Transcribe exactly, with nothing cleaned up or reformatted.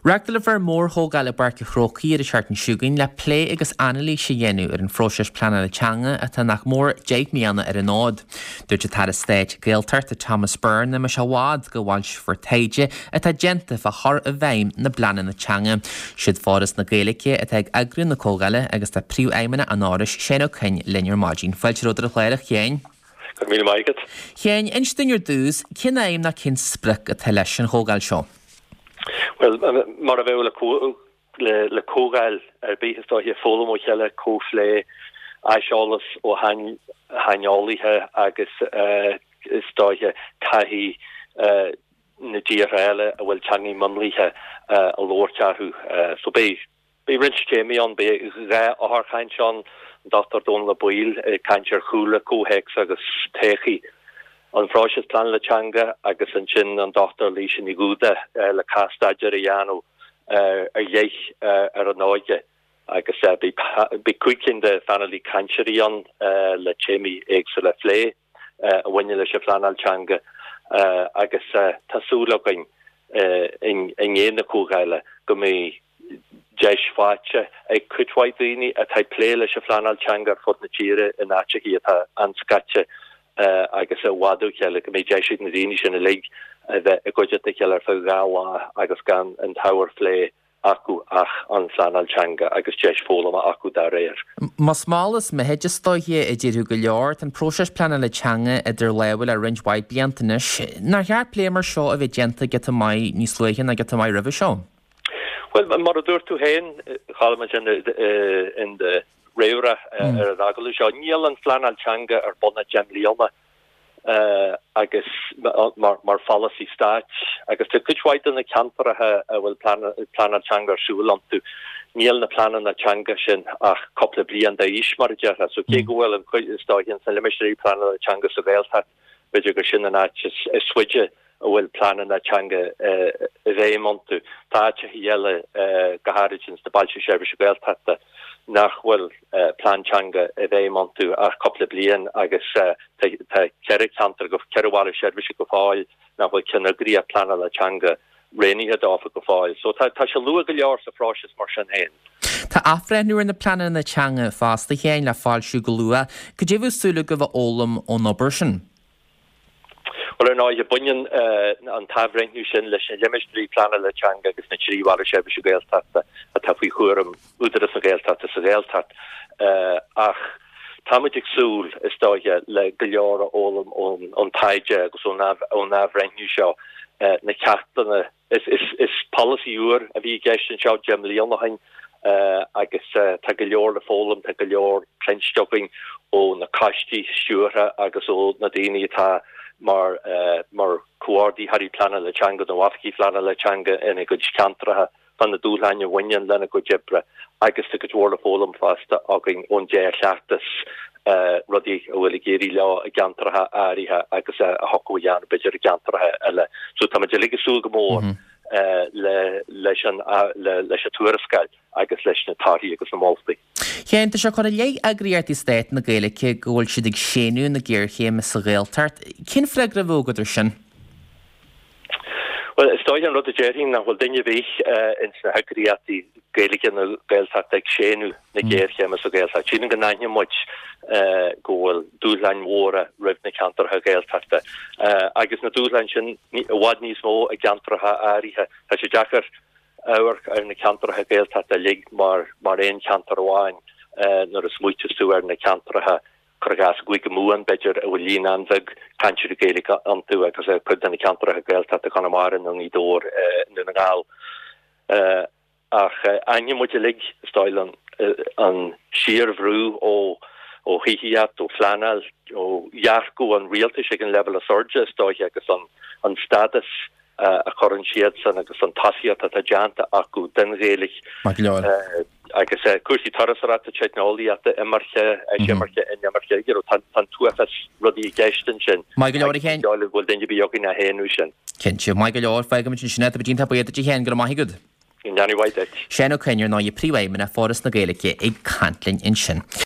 Reáchtálfar mórchomhdháil i bPáirc an Chrócaigh ar an tseachtain seo chugainn le plé agus anailís a dhéanamh ar an phróiseas pleanála teanga atá nach mór deich mbliana ar an fhód. Dúirt an tAire Stáit Gaeltachta Thomas Byrne nach mbeidh sé i bhfad go bhfoilseofar taighde atá déanta fá chur i bhfeidhm na bpleananna teanga. Siad Foras na Gaeilge atá ag eagrú na comhdhála agus tá príomhfheidhmeannach an Fhorais Seán Ó Coinn linn ar maidin. Fáilte romhat ar an chlár a Sheáin. Go raibh míle maith agat. Sheáin, inis dúinn ar dtús, cén aidhm nó cén sprioc atá leis an chomhdháil seo? Well mar a bheadh le le comhdháil ar bith is dóiche foghlaim ó chéile comhphlé aiseolas ó shaineolaithe agus is dóiche taithí na dtíortha eile a bhfuil teangaí mionlaithe á labhairt acu. So beidh beidh roinnt téamaí ann, beidh dhá eochairchaint ann, an Dochtúir Dónal Ó Baoill ag caint ar chúlra, comhthéacs agus todhchaí an phróisis pleanála teanga agus ansin an Dochtúir Laoise Ní Dhúda le cás-staidéar a dhéanamh ar leith ar an óige agus beidh cúig cinn de phainéal cainteoirí ann le téamaí éagsúla a phlé a bhaineann leis an phleanáil teanga agus tá súil againn i ndiaidh na comhdhála go mbeidh deis faighte ag cuid mhaith daoine atá ag plé leis an phleanáil teanga ar fud na tíre in áiteacha atá an-scaite agus i bhfad ó chéile go mbeidh deis ag na daoine sin uilig a bheith i gcuideachta a chéile ar feadh dhá lá agus gan an t-ábhar plé acu ach an phleanáil teanga agus deis foghlama acu dá réir. Más mall is mithid is dóiche a déarfadh go leor, tá an próiseas pleanála teanga idir lámha le roinnt mhaith blianta anois. Nár cheart plé mar seo a bheith déanta giota maith níos luaithe ná giota maith roimhe seo? Well mar a dúirt tú féin Cholm in in do réamhrá ar an agallamh seo, níl an phleanáil teanga ar bun ach deich mbliana agus mar mar pholasaí stáit agus tá cuid mhaith de na ceantracha a bhfuil pleanáil teanga ar siúl iontu, níl na pleananna teanga sin ach cúpla bliain d'aois mar a déarfá. So cé go bhfuil an chuid is dóiche sna limistéirí pleanála teanga sa Ghaeltacht, b'fhéidir gur sin an áit is faide a bhfuil pleananna teanga i bhfeidhm iontu. Tá áiteacha eile go háirid sna bailte seirbhíse Gaeltachta nach bhfuil plean teanga i bhfeidhm iontu ach cúpla bliain agus tá ceithre cheantar go ceithre bhaile seirbhíse go fóill nach bhfuil ceanneagraíocht pleanála teanga roghnaithe dófa go fóill. So tá tá sé luath go leor sa phróiseas mar sin féin. Tá athbhreithniú ar na pleananna teanga fosta a Sheáin le foilsiú go luath. Cad é a bheadh súil agaibh a fhoghlaim ón obair sin? Well ar ndóigh, baineann an t-athbhreithniú sin leis na limistéirí pleanála teanga agus na trí bhaile seirbhíse Gaeltachta atá faoi chúram Údarás na Gaeltachta sa Ghaeltacht. Ach táimid ag súil, is dóiche, le go leor a fhoghlaim ón taighde agus ón athbhreithniú seo, na ceachtanna Is polasaí úr a bhí i gceist anseo deich mbliana ó shin agus tá go leor le foghlaim, tá go leor cluinste againn ó na coistí stiúrtha agus ó na daoine atá mar mar chomhordaitheoirí pleanála teanga nó oifigigh pleanála teanga ina gcuid ceantracha fá na dúshláin a bhaineann lena gcuid oibre agus tá cuid mhór le foghlaim fosta againn ón dea-chleachtas rudaí a bhfuil ag éirí leo i gceantracha áirithe agus a thiocfadh a dhéanamh b'fhéidir i gceantracha eile. So táimid uilig ag súil go mór le leis an leis an tuarascáil agus leis na torthaí agus na moltaí. Sheáin, tá sé curtha i leith eagraíochtaí Stát na Gaeilge go bhfuil siad ag séanadh na géarchéime sa Ghaeltacht. Cén freagra a bheadh agat ar sin? Bhuel, is dóiche an rud a déarfainn nach bhfuil duine ar bith ins na heagraíochtaí Gaeilge nó Gaeltachta ag séanadh na géarchéime sa Ghaeltacht. Sílim go n-aithníonn muid go bhfuil dúshláin mhóra roimh na ceantracha Gaeltachta agus na dúshláin sin i bhfad níos mó i gceantracha áirithe. Tá sé deacair amharc ar na ceantracha Gaeltachta uilig mar mar aon cheantar amháin nuair a smaoiteos tú ar na ceantracha cuir i gcás i gCúige Mumhan, b'fhéidir, a bhfuil líon an-bheag cainteoirí Gaeilge iontu agus cuid de na ceantracha Gaeltachta, Conamara nó Gaoth Dobhair, i nDún na nGall. Ach aithníonn muid uilig, is dóigh liom, an síorbhrú ó ó thithíocht, ó phleanáil, ó dhearcadh an rialtais ag an leibhéal is airde, is dóiche, agus an an stádas a chuireann siadsan agus an tosaíocht atá déanta acu den Ghaeilge. Maith go leor. Agus cúrsaí turasóireachta, teicneolaíochta, imirce, eisimirce, inimirce, you know, tá an t-uafás rudaí i gceist ansin. Maith go leor, a Sheáin. Ní dóigh liom go bhfuil duine ar bith againn á shéanadh sin. Cinnte. Maith go leor. Fágfaimid ansin é. Tá muid iontach buíoch duit, a Sheáin. Go raibh maith agat. Go ndéana mhaith duit. Seán Ó Coinn, ar ndóigh, Príomhfheidhmeannach Foras na Gaeilge ag caint linn ansin.